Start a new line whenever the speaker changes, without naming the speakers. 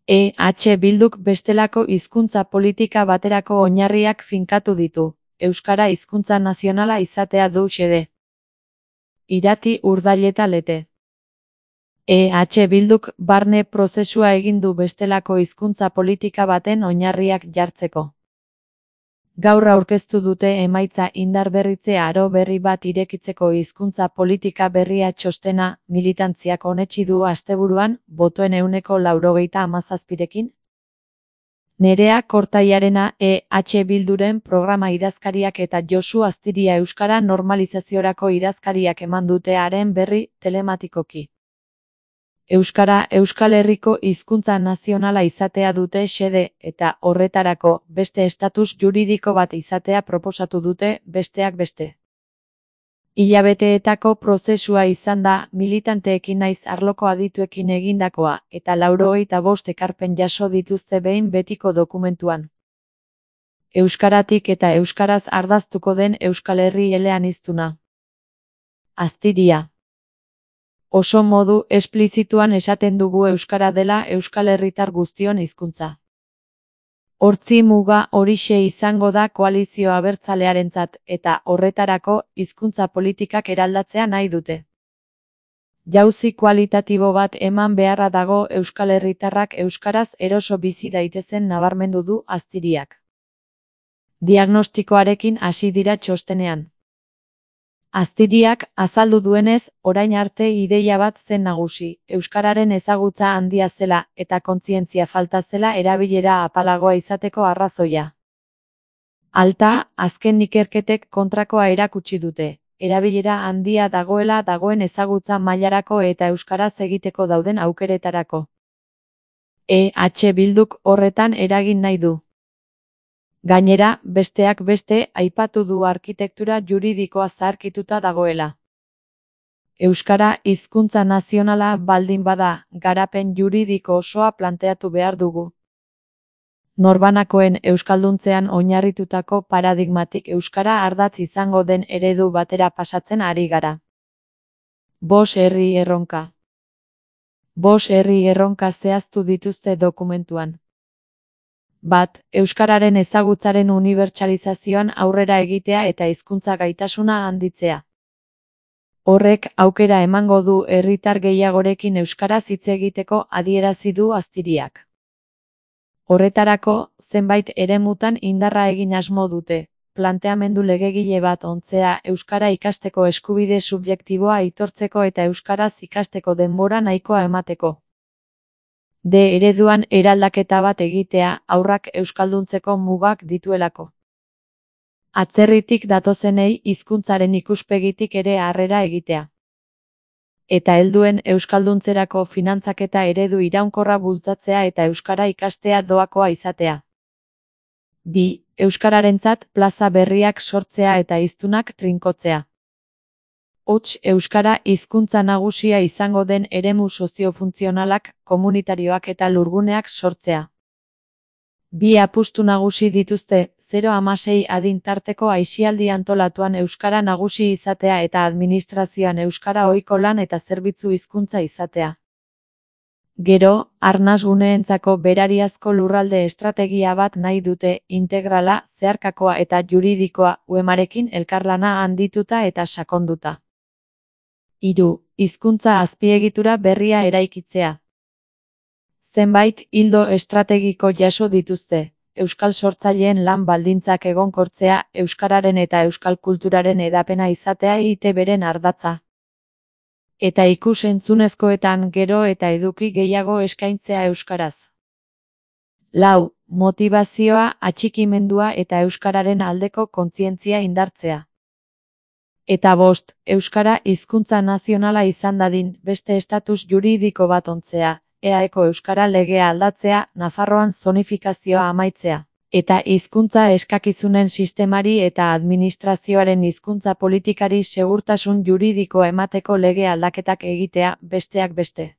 Bilduk bestelako hizkuntza politika baterako oinarriak finkatu ditu. Euskara hizkuntza nazionala izatea du xede. Irati Urdaileta Lete. Bilduk barne prozesua egin du bestelako hizkuntza politika baten oinarriak jartzeko. Gaur aurkeztu dute emaitza indarberritze aro berri bat irekitzeko hizkuntza politika berria txostena, militantziak onetsi du asteburuan, botoen 97%rekin. Nerea Kortaiarena Bilduren programa idazkariak eta Josu Astiria euskara normalizaziorako idazkariak eman dute haren berri telematikoki. Euskara Euskal Herriko hizkuntza nazionala izatea dute xede eta horretarako beste estatus juridiko bat izatea proposatu dute besteak beste. Hilabeteetako prozesua izan da militanteekin naiz arloko adituekin egindakoa eta 95 ekarpen jaso dituzte behin betiko dokumentuan. Euskaratik eta euskaraz ardaztuko den Euskal Herri eleaniztuna. Astiria. Oso modu esplizituan esaten dugu euskara dela Euskal Herritar guztion hizkuntza. Hortzi muga horixe izango da koalizio abertzalearentzat eta horretarako hizkuntza politikak eraldatzea nahi dute. Jauzi kualitatibo bat eman beharra dago Euskal Herritarrak euskaraz eroso bizi daitezen nabarmendu du Astiriak. Diagnostikoarekin hasi dira txostenean. Astiriak azaldu duenez, orain arte ideia bat zen nagusi, euskararen ezagutza handia zela eta kontzientzia falta zela erabilera apalagoa izateko arrazoia. Alta, azken ikerketek kontrakoa erakutsi dute, erabilera handia dagoela dagoen ezagutza mailarako eta euskaraz egiteko dauden aukeretarako. Bilduk horretan eragin nahi du. Gainera, besteak beste, aipatu du arkitektura juridikoa zaharkituta dagoela. Euskara hizkuntza nazionala baldin bada, garapen juridiko osoa planteatu behar dugu. Norbanakoen euskalduntzean oinarritutako paradigmatik euskara ardatz izango den eredu batera pasatzen ari gara. 5 herri erronka. 5 herri erronka zehaztu dituzte dokumentuan. 1. Euskararen ezagutzaren unibertsalizazioan aurrera egitea eta hizkuntza gaitasuna handitzea. Horrek aukera emango du herritar gehiagorekin euskaraz hitz egiteko adierazi du Astiriak. Horretarako, zenbait eremutan indarra egin asmo dute, planteamendu legegile bat ontzea euskara ikasteko eskubide subjektiboa aitortzeko eta euskaraz ikasteko denbora nahikoa emateko. Ereduan eraldaketa bat egitea haurrak euskalduntzeko mugak dituelako. Atzerritik datozenei hizkuntzaren ikuspegitik ere harrera egitea. Eta helduen euskalduntzerako finantzaketa eredu iraunkorra bultzatzea eta euskara ikastea doakoa izatea. 2. Euskararentzat plaza berriak sortzea eta hiztunak trinkotzea. Hots, euskara hizkuntza nagusia izango den eremu soziofuntzionalak, komunitarioak eta lurguneak sortzea. 2 apustu nagusi dituzte, 0-16 adin tarteko aisialdi antolatuan euskara nagusi izatea eta administrazioan euskara ohiko lan eta zerbitzu hizkuntza izatea. Gero, arnasguneentzako berariazko lurralde estrategia bat nahi dute, integrala, zeharkakoa eta juridikoa, UEMarekin elkarlana handituta eta sakonduta. 3. Hizkuntza azpiegitura berria eraikitzea. Zenbait ildo estrategiko jaso dituzte, euskal sortzaileen lan baldintzak egonkortzea, euskararen eta euskal kulturaren hedapena izatea EITBren ardatza. Eta ikus-entzunezkoetan gero eta eduki gehiago eskaintzea euskaraz. 4. Motivazioa, atxikimendua eta euskararen aldeko kontzientzia indartzea. Eta 5. Euskara hizkuntza nazionala izan dadin beste estatus juridiko bat ontzea, EAeko euskara legea aldatzea, Nafarroan zonifikazioa amaitzea. Eta hizkuntza eskakizunen sistemari eta administrazioaren hizkuntza politikari segurtasun juridikoa emateko lege aldaketak egitea, besteak beste.